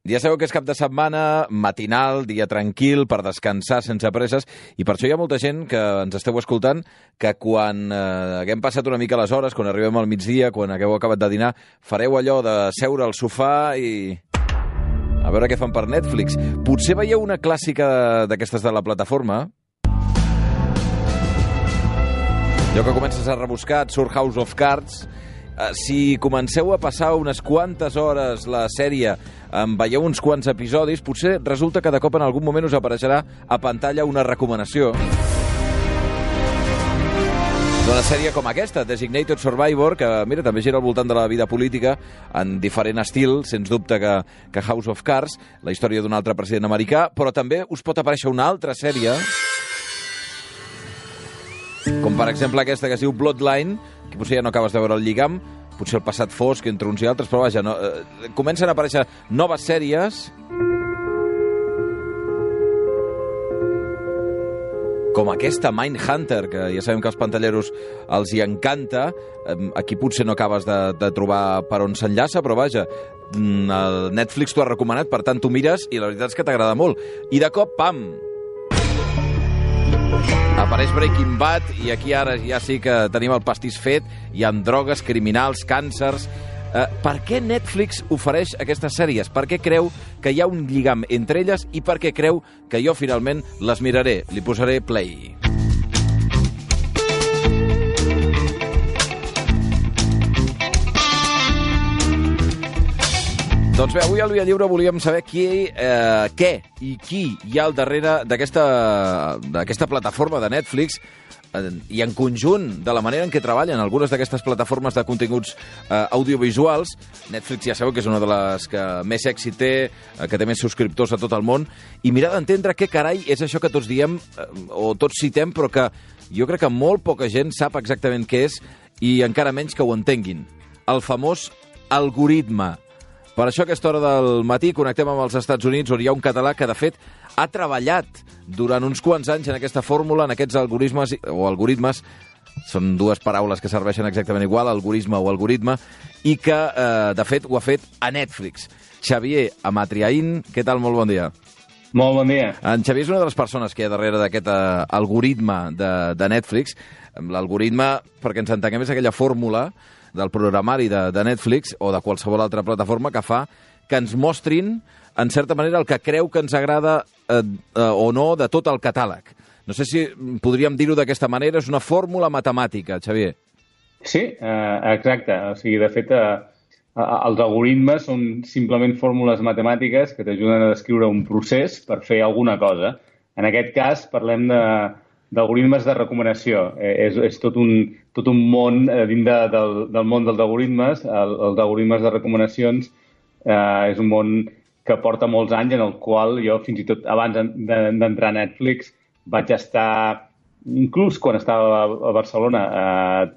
Ja sabeu que és cap de setmana, matinal, dia tranquil, per descansar sense presses, i per això hi ha molta gent que ens esteu escoltant que quan haguem passat una mica les hores, quan arribem al migdia, quan hagueu acabat de dinar, fareu allò de seure al sofà i a veure què fan per Netflix. Potser veieu una clàssica d'aquestes de la plataforma. Allò que comences a rebuscar, et surt House of Cards. Si comenceu a passar unes quantes hores la sèrie, veieu uns quants episodis, potser resulta que de cop en algun moment us apareixerà a pantalla una recomanació d'una sèrie com aquesta, Designated Survivor, que mira, també gira al voltant de la vida política en diferent estil, sens dubte que House of Cards, la història d'un altre president americà, però també us pot aparèixer una altra sèrie, com per exemple aquesta que es diu Bloodline, que potser ja no acabes de veure el lligam, potser el passat fosc entre uns i altres, però vaja, no, comencen a aparèixer noves sèries com aquesta Mindhunter, que ja sabem que als pantalleros els hi encanta. Aquí potser no acabes de trobar per on s'enllaça, però vaja, el Netflix t'ho ha recomanat, per tant t'ho mires i la veritat és que t'agrada molt. I de cop, pam! Apareix Breaking Bad i aquí ara ja sí que tenim el pastís fet, hi ha drogues, criminals, càncers. Per què Netflix ofereix aquestes sèries? Per què creu que hi ha un lligam entre elles i per què creu que jo finalment les miraré? Li posaré play. Doncs bé, avui al Via Lliure volíem saber què i qui hi ha al darrere d'aquesta plataforma de Netflix i en conjunt de la manera en què treballen algunes d'aquestes plataformes de continguts audiovisuals. Netflix ja sabeu que és una de les que més èxit té, que té més subscriptors a tot el món, i mirar d'entendre què carai és això que tots diem o tots citem, però que jo crec que molt poca gent sap exactament què és i encara menys que ho entenguin. El famós algoritme. Per això a aquesta hora del matí connectem amb els Estats Units, on hi ha un català que, de fet, ha treballat durant uns quants anys en aquesta fórmula, en aquests algoritmes, o algoritmes, són dues paraules que serveixen exactament igual, algoritme o algoritme, i que, de fet, ho ha fet a Netflix. Xavier Amatriaín, què tal? Molt bon dia. Molt bon dia. En Xavier és una de les persones que hi ha darrere d'aquest algoritme de Netflix. L'algoritme, perquè ens entenguem, és aquella fórmula del programari de Netflix o de qualsevol altra plataforma que fa que ens mostrin, en certa manera, el que creu que ens agrada o no de tot el catàleg. No sé si podríem dir-ho d'aquesta manera, és una fórmula matemàtica, Xavier. Sí, exacte. O sigui, de fet, els algoritmes són simplement fórmules matemàtiques que t'ajuden a descriure un procés per fer alguna cosa. En aquest cas, parlem d'algoritmes de recomanació. És tot un món dins del món dels algoritmes. Els algoritmes de recomanacions és un món que porta molts anys, en el qual jo, fins i tot abans d'entrar a Netflix, vaig estar, inclús quan estava a Barcelona,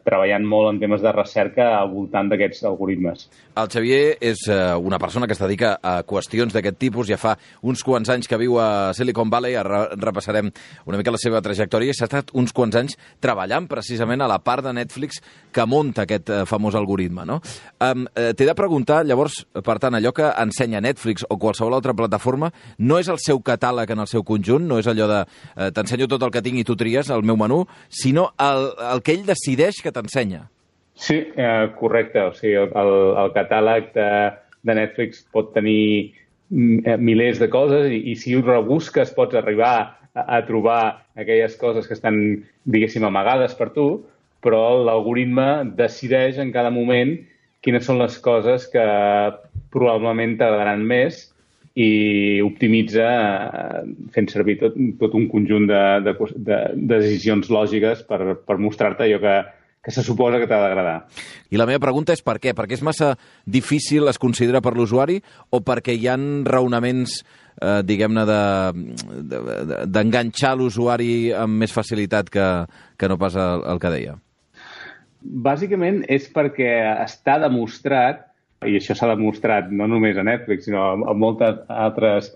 treballant molt en temes de recerca al voltant d'aquests algoritmes. El Xavier és una persona que es dedica a qüestions d'aquest tipus. Ja fa uns quants anys que viu a Silicon Valley. Ara repassarem una mica la seva trajectòria. S'ha estat uns quants anys treballant precisament a la part de Netflix que munta aquest famós algoritme, no? T'he de preguntar, llavors, per tant, allò que ensenya Netflix o qualsevol altra plataforma no és el seu catàleg en el seu conjunt, no és allò de t'ensenyo tot el que tinc i tu tries el meu menú, sinó el que ell decideix que t'ensenya. Sí, correcte. O sigui, el catàleg de Netflix pot tenir milers de coses i si ho rebusques pots arribar a trobar aquelles coses que estan, diguéssim, amagades per tu, però l'algoritme decideix en cada moment quines són les coses que probablement t'agradaran més i optimitza fent servir tot un conjunt de decisions lògiques per mostrar-te allò que se suposa que t'ha d'agradar. I la meva pregunta és per què? Perquè és massa difícil, es considera, per l'usuari, o perquè hi ha raonaments, diguem-ne, d'enganxar l'usuari amb més facilitat que no pas el que deia? Bàsicament és perquè està demostrat, i això s'ha demostrat no només a Netflix, sinó a moltes altres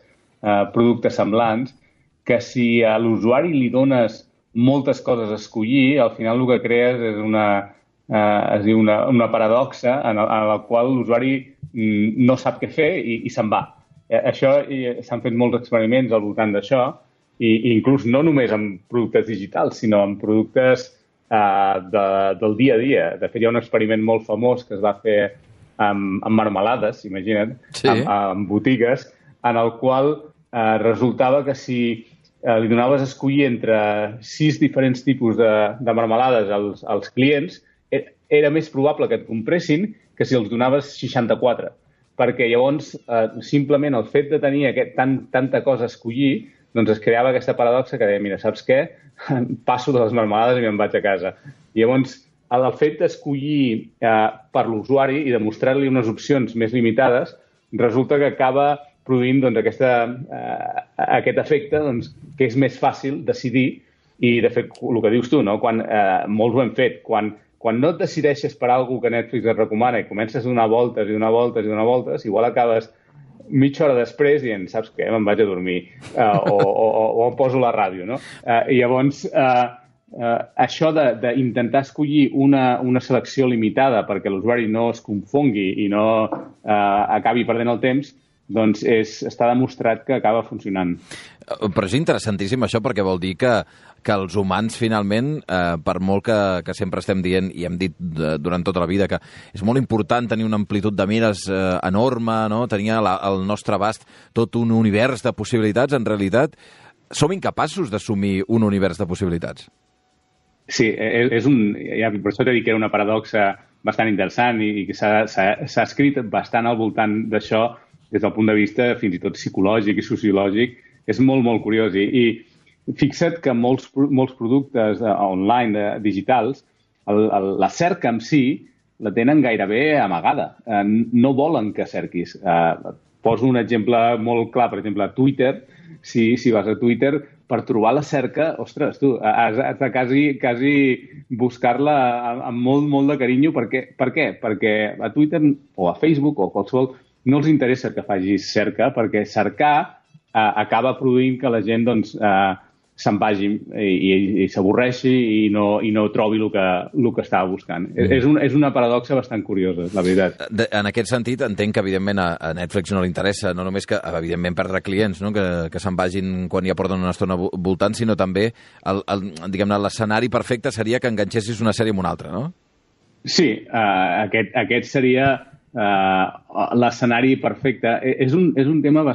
productes semblants, que si a l'usuari li dones moltes coses a escollir, al final el que crees és una paradoxa en la qual l'usuari no sap què fer i se'n va. això s'han fet molts experiments al voltant d'això, i inclús no només amb productes digitals, sinó amb productes del dia a dia. De fet, hi ha un experiment molt famós que es va fer amb marmelades, imagina't, amb botigues, en el qual resultava que si li donaves a escollir entre 6 diferents tipus de marmelades als clients, era més probable que et compressin que si els donaves 64. Perquè llavors, simplement el fet de tenir tanta cosa a escollir, doncs es creava aquesta paradoxa que deia, mira, saps què? Passo de les marmelades i me'n vaig a casa. I llavors, el fet d'escollir per l'usuari i de mostrar-li unes opcions més limitades, resulta que acaba produint doncs, aquest efecte doncs, que és més fàcil decidir i, de fet, el que dius tu, no? Molts ho hem fet, quan no et decideixes per alguna que Netflix et recomana i comences a donar voltes i donar voltes i donar voltes, igual acabes mitja hora després dient, saps què, me'n vaig a dormir o em poso la ràdio, no? I llavors, això d'intentar escollir una selecció limitada perquè l'usuari no es confongui i no acabi perdent el temps, doncs està demostrat que acaba funcionant. Però és interessantíssim això perquè vol dir que els humans finalment, per molt que sempre estem dient i hem dit durant tota la vida que és molt important tenir una amplitud de mires enorme, no? Tenir al nostre abast tot un univers de possibilitats, en realitat som incapaços d'assumir un univers de possibilitats. Sí, per això t'he dit que era una paradoxa bastant interessant i que s'ha escrit bastant al voltant d'això des del punt de vista fins i tot psicològic i sociològic. És molt, molt curiós. I fixa't que molts productes online, digitals, la cerca en si la tenen gairebé amagada. No volen que cerquis. Poso un exemple molt clar, per exemple, a Twitter. Si vas a Twitter, per trobar la cerca, ostres, tu, has de quasi buscar-la amb molt, molt de carinyo. Per què? Perquè a Twitter o a Facebook o a qualsevol no els interessa que facis cerca, perquè cercar acaba produint que la gent doncs, se'n vagi i s'avorreixi i no trobi el que estava buscant. És una paradoxa bastant curiosa, la veritat. En aquest sentit, entenc que, evidentment, a Netflix no li interessa no només que, evidentment, perdre clients, no? que se'n vagin quan ja porten una estona voltant, sinó també, diguem-ne, l'escenari perfecte seria que enganxessis una sèrie amb una altra, no? Sí, aquest seria l'escenari perfecte. És un tema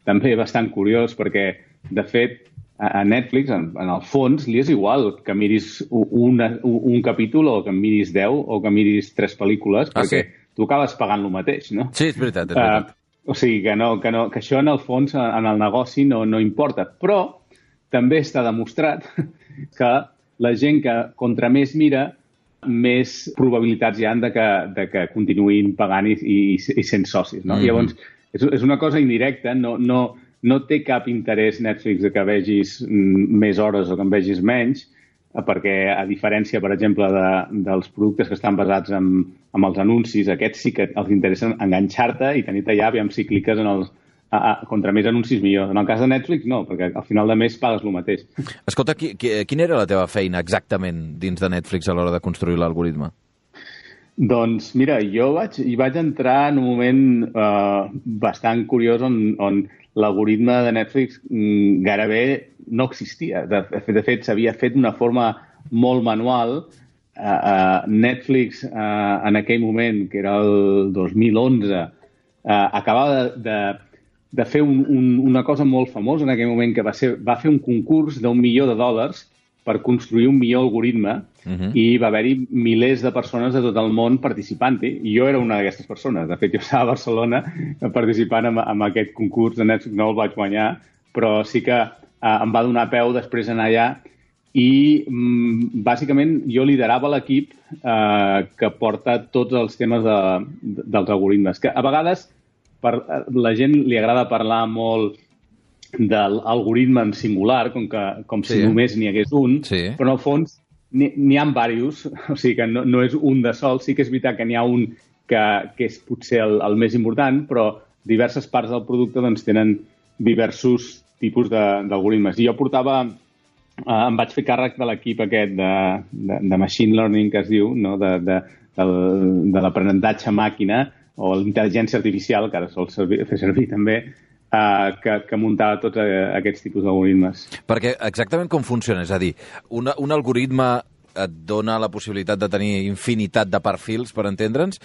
també bastant curiós perquè, de fet, a Netflix, en el fons, li és igual que miris un capítol o que miris 10 o que miris 3 pel·lícules, perquè tu acabes pagant el mateix, no? Sí, és veritat, és veritat. O sigui, que això en el fons, en el negoci, no importa. Però també està demostrat que la gent que contra més mira, més probabilitats hi ha de que continuïn pagant i sent socis, no? Llavors, és una cosa indirecta, no té cap interès Netflix que vegis més hores o que en vegis menys, perquè a diferència, per exemple, dels productes que estan basats en els anuncis, aquests sí que els interessa enganxar-te i tenir-te allà, aviam si cliques en els contra més anuncis millor. En el cas de Netflix, no, perquè al final de mes pagues el mateix. Escolta, quina era la teva feina exactament dins de Netflix a l'hora de construir l'algoritme? Doncs mira, jo hi vaig entrar en un moment bastant curiós on l'algoritme de Netflix gairebé no existia. De fet, s'havia fet d'una forma molt manual. Netflix, en aquell moment, que era el 2011, acabava de fer una cosa molt famosa en aquell moment, que va fer un concurs d'UR1 milió per construir un millor algoritme i va haver-hi milers de persones de tot el món participant-hi. I jo era una d'aquestes persones. De fet, jo estava a Barcelona participant en aquest concurs de Netflix. No el vaig guanyar, però sí que em va donar peu després d'anar allà i bàsicament jo liderava l'equip que porta tots els temes dels algoritmes. Que a vegades la gent li agrada parlar molt de l'algoritme en singular, com si només n'hi hagués un, però en el fons n'hi ha diversos, o sigui que no és un de sol. Sí que és veritat que n'hi ha un que és potser el més important, però diverses parts del producte doncs, tenen diversos tipus d'algoritmes. I jo em vaig fer càrrec de l'equip aquest de machine learning, que es diu, no? de l'aprenentatge màquina, o l'intel·ligència artificial, que ara sol fer servir també, que muntava tots aquests tipus d'algoritmes. Perquè exactament com funciona? És a dir, un algoritme et dona la possibilitat de tenir infinitat de perfils, per entendre'ns,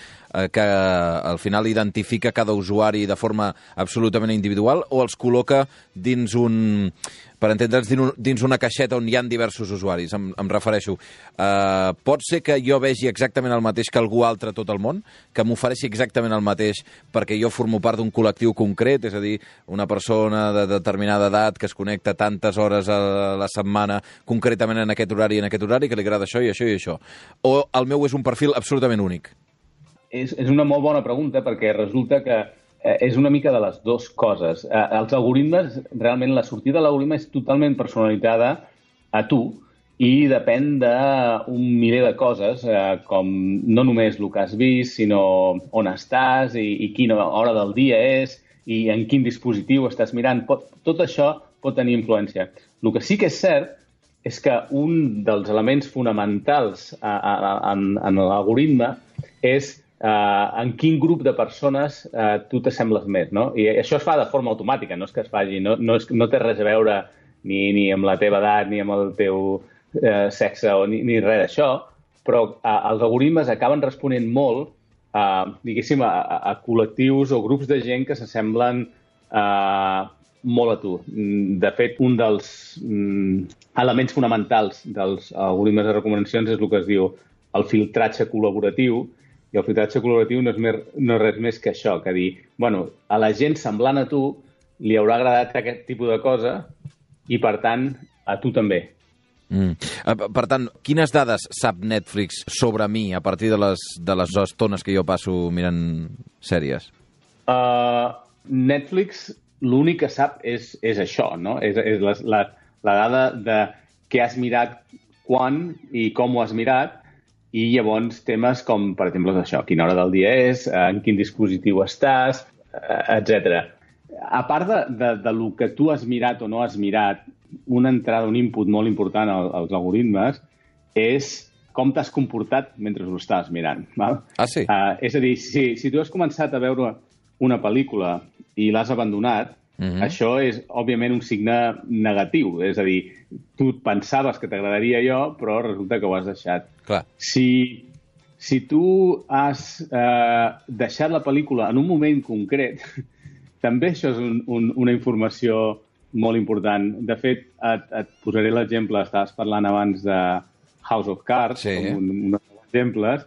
que al final identifica cada usuari de forma absolutament individual, o els col·loca dins per entendre'ns, dins una caixeta on hi ha diversos usuaris, em refereixo. Pot ser que jo vegi exactament el mateix que algú altre a tot el món, que m'ofereixi exactament el mateix perquè jo formo part d'un col·lectiu concret, és a dir, una persona de determinada edat que es connecta tantes hores a la setmana, concretament en aquest horari i en aquest horari, que li agrada això i això i això. O el meu és un perfil absolutament únic? És una molt bona pregunta, perquè resulta que és una mica de les dues coses. Els algoritmes, realment la sortida de l'algoritme és totalment personalitzada a tu i depèn d'un miler de coses, com no només el que has vist, sinó on estàs i quina hora del dia és i en quin dispositiu estàs mirant. Tot això pot tenir influència. El que sí que és cert és que un dels elements fonamentals en l'algoritme és en quin grup de persones tu t'assembles més, no? I això es fa de forma automàtica, no és que es faci, no té res a veure ni amb la teva edat, ni amb el teu sexe, ni res d'això, però els algoritmes acaben responent molt, diguéssim, a col·lectius o grups de gent que s'assemblen molt a tu. De fet, un dels elements fonamentals dels algoritmes de recomanacions és el que es diu el filtratge col·laboratiu, i el filtratge col·laboratiu no és res més que això, que dir, bueno, a la gent semblant a tu li haurà agradat aquest tipus de cosa i, per tant, a tu també. Per tant, quines dades sap Netflix sobre mi a partir de les estones que jo passo mirant sèries? Netflix l'únic que sap és això, no? És la dada de què has mirat, quan i com ho has mirat, i llavors temes com, per exemple, això, quina hora del dia és, en quin dispositiu estàs, etc. A part de lo que tu has mirat o no has mirat, una entrada, un input molt important als algoritmes és com t'has comportat mentre ho estàs mirant. Val? Ah, sí? És a dir, si tu has començat a veure una pel·lícula i l'has abandonat, això és, òbviament, un signe negatiu. És a dir, tu pensaves que t'agradaria allò, però resulta que ho has deixat. Clar. Si tu has deixat la pel·lícula en un moment concret, també això és una informació molt important. De fet, et posaré l'exemple, estaves parlant abans de House of Cards, sí, com un dels exemples.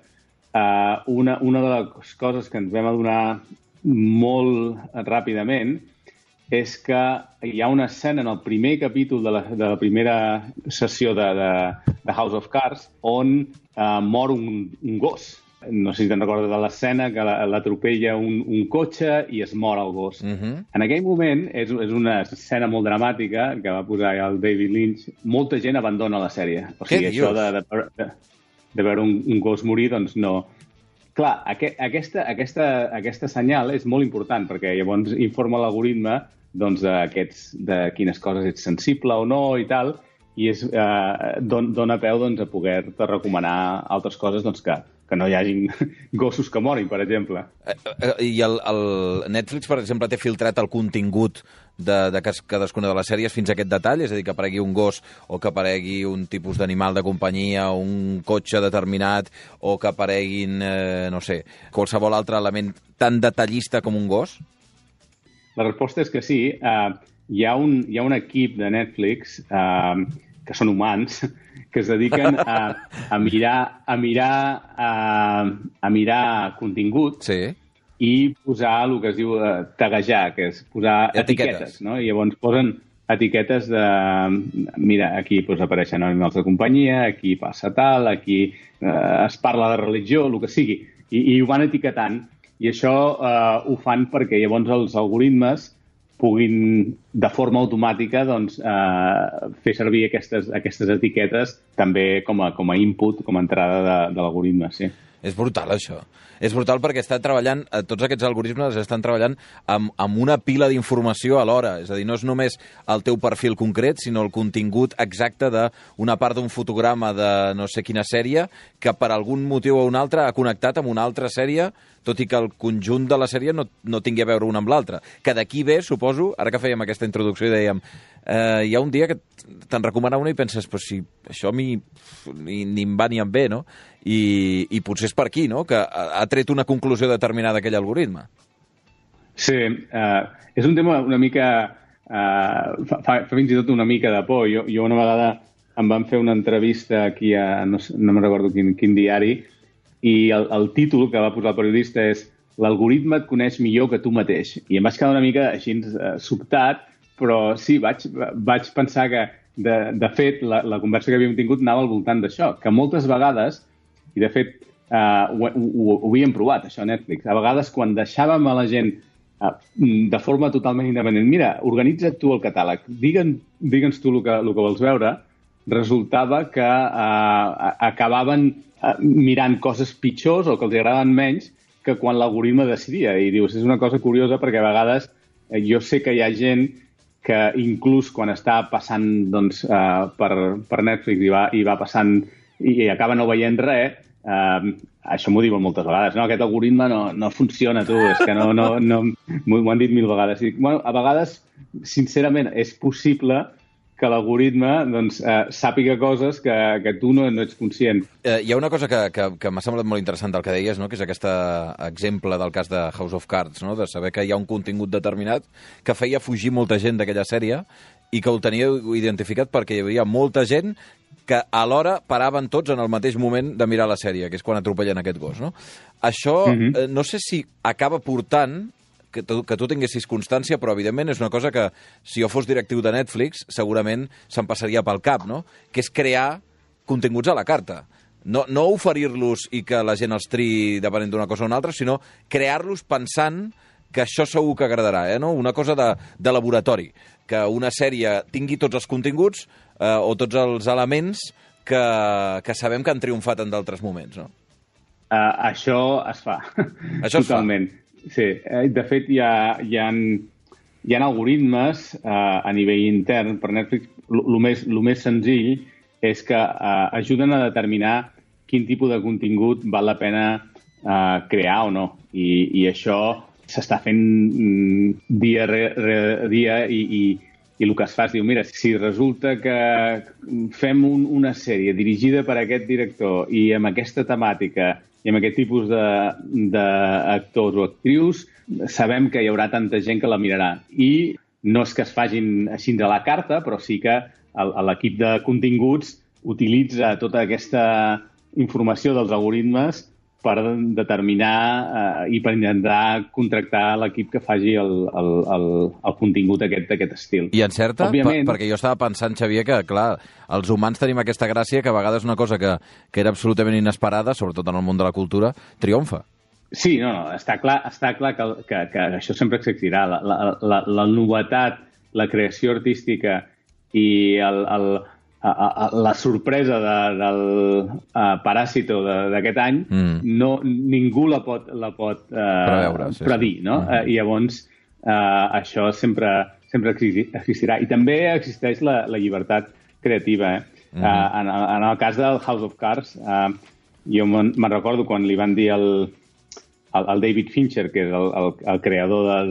Una de les coses que ens vam adonar molt ràpidament és que hi ha una escena en el primer capítol de la primera sessió de House of Cards on mor un gos. No sé si te'n recordes de l'escena que l'atropella un cotxe i es mor el gos. En aquell moment, és una escena molt dramàtica que va posar el David Lynch. Molta gent abandona la sèrie. O sigui, això de veure un gos morir, doncs no. Clar, aquesta senyal és molt important perquè llavors informa l'algoritme de quines coses ets sensible o no i tal, i dona peu a poder-te recomanar altres coses que no hi hagin gossos que morin, per exemple. I el Netflix, per exemple, té filtrat el contingut de cadascuna de les sèries fins a aquest detall? És a dir, que aparegui un gos o que aparegui un tipus d'animal de companyia, un cotxe determinat, o que apareguin, no sé, qualsevol altre element tan detallista com un gos? La resposta és que sí. Hi ha un equip de Netflix que són humans que es dediquen a mirar contingut, sí, i posar el que es diu taguejar, que és posar etiquetes, no? I llavors posen etiquetes de... Mira, aquí apareixen animals de companyia, aquí passa tal, aquí es parla de religió, el que sigui, i ho van etiquetant. I això ho fan perquè llavors els algoritmes puguin, de forma automàtica, fer servir aquestes etiquetes també com a input, com a entrada de l'algoritme, sí. És brutal, això. És brutal perquè tots aquests algoritmes estan treballant amb una pila d'informació alhora. És a dir, no és només el teu perfil concret, sinó el contingut exacte d'una part d'un fotograma de no sé quina sèrie que per algun motiu o un altre ha connectat amb una altra sèrie tot i que el conjunt de la sèrie no tingui a veure una amb l'altra. Que d'aquí ve, suposo, ara que fèiem aquesta introducció i dèiem hi ha un dia que te'n recomana una i penses, però si això a mi ni em va ni em ve, no? I potser és per aquí, no?, que ha tret una conclusió determinada aquell algoritme. Sí, és un tema una mica... fa fins i tot una mica de por. Jo una vegada em van fer una entrevista aquí a... no me'n recordo quin diari, i el títol que va posar el periodista és "L'algoritme et coneix millor que tu mateix". I em vaig quedar una mica així sobtat, però sí, vaig pensar que, de fet, la conversa que havíem tingut anava al voltant d'això, que moltes vegades, i de fet ho havíem provat, això a Netflix, a vegades quan deixàvem a la gent de forma totalment independent, mira, organitza't tu el catàleg, digue'ns tu el que vols veure, resultava que acabaven mirant coses pitjors o que els agradaven menys que quan l'algoritme decidia. I dius, és una cosa curiosa perquè a vegades jo sé que hi ha gent que inclús quan està passant doncs, per Netflix i va passant i acaba no veient res, això m'ho diuen moltes vegades, no? Aquest algoritme no funciona, tu, és que no m'ho han dit 1000 vegades. I, bueno, a vegades, sincerament, és possible que l'algoritme doncs, sàpiga coses que tu no ets conscient. Hi ha una cosa que m'ha semblat molt interessant del que deies, no?, que és aquest exemple del cas de House of Cards, no?, de saber que hi ha un contingut determinat que feia fugir molta gent d'aquella sèrie i que ho teníeu identificat perquè hi havia molta gent que alhora paraven tots en el mateix moment de mirar la sèrie, que és quan atropellen aquest gos, no? Això no sé si acaba portant que tu tinguessis constància, però evidentment és una cosa que, si jo fos directiu de Netflix, segurament se'm passaria pel cap, no?, que és crear continguts a la carta. No oferir-los i que la gent els triï depenent d'una cosa o una altra, sinó crear-los pensant que això segur que agradarà, no? Una cosa de laboratori, que una sèrie tingui tots els continguts o tots els elements que sabem que han triomfat en d'altres moments, no? Això es fa. Això totalment. Sí, de fet hi ha algoritmes a nivell intern per Netflix. El més senzill és que ajuden a determinar quin tipus de contingut val la pena crear o no. I això s'està fent dia rere dia i el que es fa és dir, mira, si resulta que fem una sèrie dirigida per aquest director i amb aquesta temàtica i amb aquest tipus d'actors o actrius, sabem que hi haurà tanta gent que la mirarà. I no és que es facin així de la carta, però sí que l'equip de continguts utilitza tota aquesta informació dels algoritmes per determinar i per intentar contractar l'equip que faci el contingut d'aquest estil. I encerta? Òbviament, perquè jo estava pensant, Xavier, que, clar, els humans tenim aquesta gràcia que a vegades una cosa que era absolutament inesperada, sobretot en el món de la cultura, triomfa. Sí, està clar que això sempre existirà. La novetat, la creació artística i la sorpresa del Paràsito d'aquest any, ningú la pot predir, no? I llavors això sempre existirà. I també existeix la llibertat creativa. En el cas del House of Cards, jo me'n recordo quan li van dir al David Fincher, que és el creador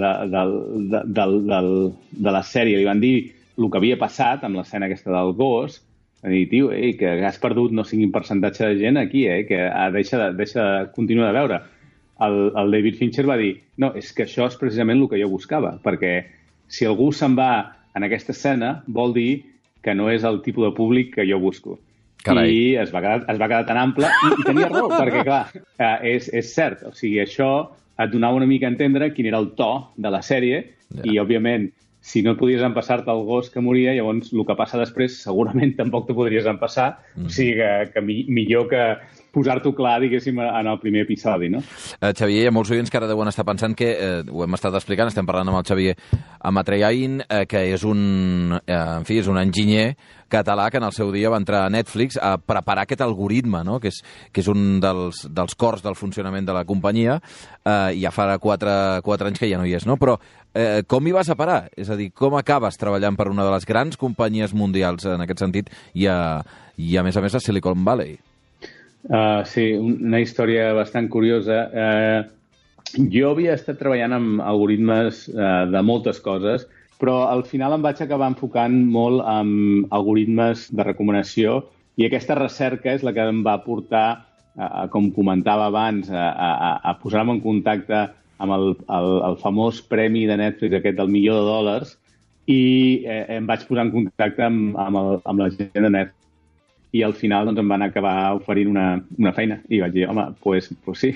de la sèrie, li van dir el que havia passat amb l'escena aquesta del gos, a dir, tio, que has perdut no sé quin percentatge de gent aquí, que deixa continuar de veure. El David Fincher va dir, no, és que això és precisament el que jo buscava, perquè si algú se'n va en aquesta escena, vol dir que no és el tipus de públic que jo busco. Carai. I es va quedar tan ample, i tenia raó, perquè, clar, és cert. O sigui, això et donava una mica a entendre quin era el to de la sèrie, i, òbviament, si no et podies empassar-te el gos que moria, llavors el que passa després segurament tampoc t'ho podries empassar. O sigui que millor que posar-t'ho clar, diguéssim, en el primer episodi, no? Xavier, hi ha molts oients que ara deuen estar pensant que, ho hem estat explicant, estem parlant amb el Xavier Amatreyain, que és un enginyer català que en el seu dia va entrar a Netflix a preparar aquest algoritme, no?, que és un dels cors del funcionament de la companyia, i ja fa 4 anys que ja no hi és, no? Però com hi vas a parar? És a dir, com acabes treballant per una de les grans companyies mundials en aquest sentit i a més a Silicon Valley? Sí, una història bastant curiosa. Jo havia estat treballant amb algoritmes de moltes coses, però al final em vaig acabar enfocant molt en algoritmes de recomanació i aquesta recerca és la que em va portar, com comentava abans, a posar-me en contacte amb el famós premi de Netflix, aquest del $1.000.000, i em vaig posar en contacte amb la gent de Netflix. I al final doncs, em van acabar oferint una feina. I vaig dir, home, pues sí.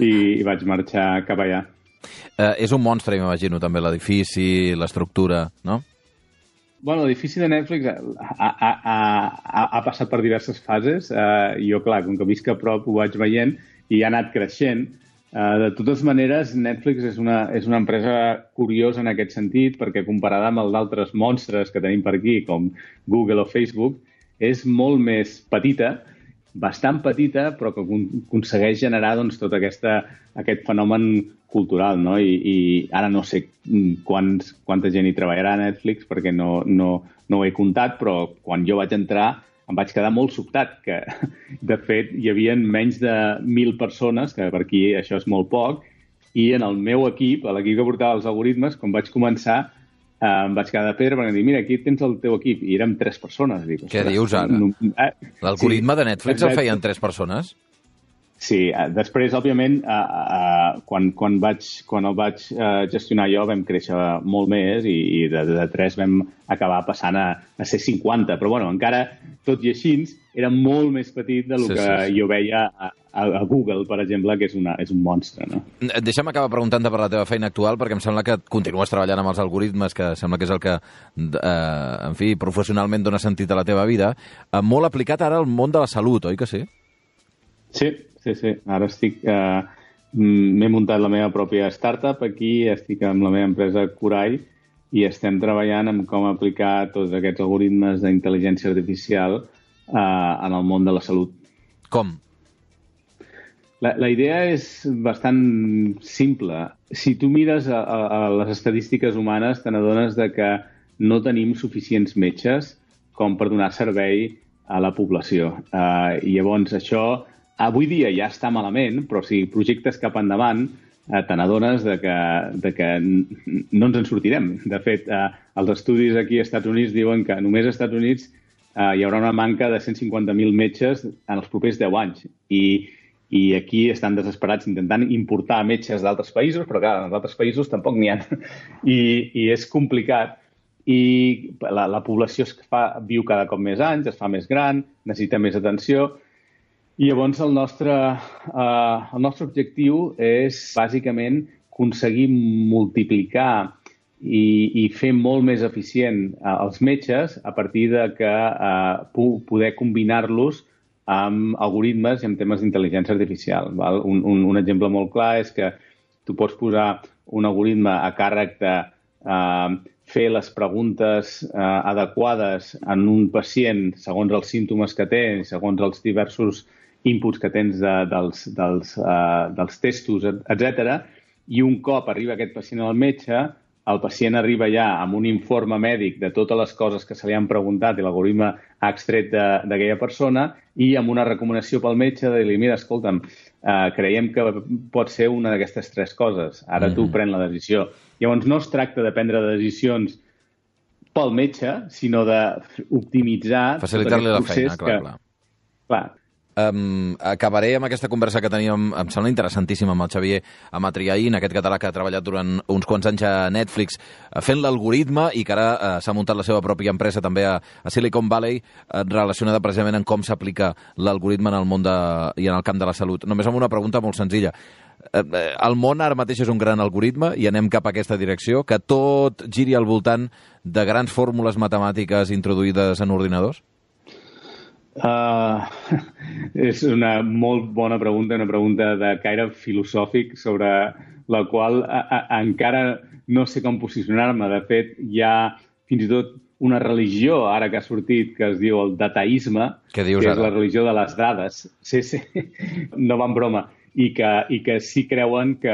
I vaig marxar cap allà. És un monstre, m'imagino, també, l'edifici, l'estructura, no? Bueno, l'edifici de Netflix ha passat per diverses fases. Jo, clar, com que visc a prop, ho vaig veient i ha anat creixent. De totes maneres, Netflix és una empresa curiosa en aquest sentit, perquè comparada amb els altres monstres que tenim per aquí, com Google o Facebook, és molt més petita, bastant petita, però que aconsegueix generar doncs, tot aquest fenomen cultural, no? I ara no sé quanta gent hi treballarà a Netflix, perquè no ho he comptat, però quan jo vaig entrar em vaig quedar molt sobtat, que de fet hi havia menys de 1.000 persones, que per aquí això és molt poc, i en el meu equip, l'equip que portava els algoritmes, quan vaig començar, em vaig quedar de pedra perquè em dir, mira, aquí tens el teu equip, i érem 3 persones. Dic, què dius ara? L'algoritme de Netflix el feien 3 persones? Sí, després, òbviament, quan el vaig gestionar jo vam créixer molt més i de 3 vam acabar passant a ser 50. Però, bueno, encara, tot i així, era molt més petit del que jo veia a Google, per exemple, que és un monstre, no? Deixa'm acabar preguntant-te per la teva feina actual, perquè em sembla que continues treballant amb els algoritmes, que sembla que és el que, en fi, professionalment dona sentit a la teva vida. Molt aplicat ara al món de la salut, oi que sí? Sí. Ara m'he muntat la meva pròpia startup aquí, estic amb la meva empresa Curai i estem treballant en com aplicar tots aquests algoritmes d'intel·ligència artificial en el món de la salut. Com? La idea és bastant simple. Si tu mires a les estadístiques humanes, te n'adones que no tenim suficients metges com per donar servei a la població. I llavors això avui dia ja està malament, però si projectes cap endavant, te n'adones que no ens en sortirem. De fet, els estudis aquí als Estats Units diuen que només als Estats Units hi haurà una manca de 150.000 metges en els propers 10 anys. I aquí estan desesperats intentant importar metges d'altres països, però clar, en els altres països tampoc n'hi ha. I és complicat. I la població viu cada cop més anys, es fa més gran, necessita més atenció. I llavors el nostre objectiu és, bàsicament, aconseguir multiplicar i fer molt més eficient els metges a partir de que poder combinar-los amb algoritmes i amb temes d'intel·ligència artificial. Val? Un exemple molt clar és que tu pots posar un algoritme a càrrec de fer les preguntes adequades en un pacient segons els símptomes que té, segons els diversos inputs que tens dels testos, etc. I un cop arriba aquest pacient al metge, el pacient arriba ja amb un informe mèdic de totes les coses que se li han preguntat i l'algoritme ha extret d'aquella persona i amb una recomanació pel metge de dir-li, mira, escolta'm, creiem que pot ser una d'aquestes 3 coses. Ara tu pren la decisió. Llavors no es tracta de prendre decisions pel metge, sinó d'optimitzar facilitar-li la feina, clar. Acabaré amb aquesta conversa que teníem, em sembla interessantíssima, amb el Xavier Amatriaín, aquest català que ha treballat durant uns quants anys a Netflix fent l'algoritme i que ara s'ha muntat la seva pròpia empresa també a Silicon Valley relacionada precisament amb com s'aplica l'algoritme en el món i en el camp de la salut. Només amb una pregunta molt senzilla. El món ara mateix és un gran algoritme i anem cap a aquesta direcció, que tot giri al voltant de grans fórmules matemàtiques introduïdes en ordinadors? És una molt bona pregunta, una pregunta de caire filosòfic sobre la qual encara no sé com posicionar-me. De fet, hi ha fins i tot una religió, ara que ha sortit, que es diu el dataisme, que és la religió de les dades. Sí, no va en broma. I que sí creuen que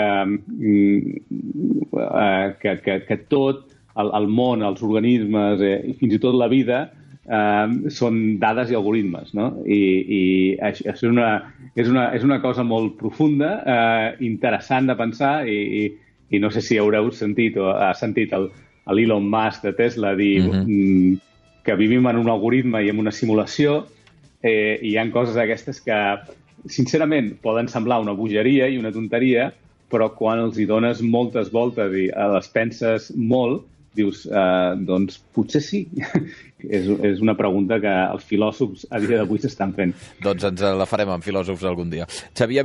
tot el món, els organismes i fins i tot la vida són dades i algoritmes, no? I això és una cosa molt profunda, interessant de pensar, i no sé si haureu sentit o ha sentit l'Elon Musk de Tesla dir que vivim en un algoritme i en una simulació, i hi ha coses d'aquestes que, sincerament, poden semblar una bogeria i una tonteria, però quan els hi dones moltes voltes i les penses molt, dius, doncs potser sí. És una pregunta que els filòsofs a dia d'avui s'estan fent. Doncs ens la farem amb filòsofs algun dia. Xavier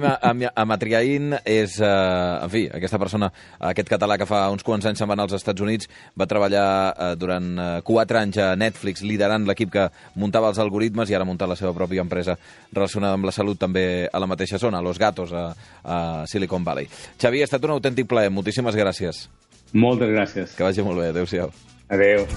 Amatriain és, en fi, aquesta persona, aquest català que fa uns quants anys se'n va anar als Estats Units, va treballar durant 4 anys a Netflix liderant l'equip que muntava els algoritmes i ara ha muntat la seva pròpia empresa relacionada amb la salut també a la mateixa zona, a Los Gatos, a Silicon Valley. Xavier, ha estat un autèntic plaer. Moltíssimes gràcies. Moltes gràcies. Que vagi molt bé. Adéu-siau. Adéu.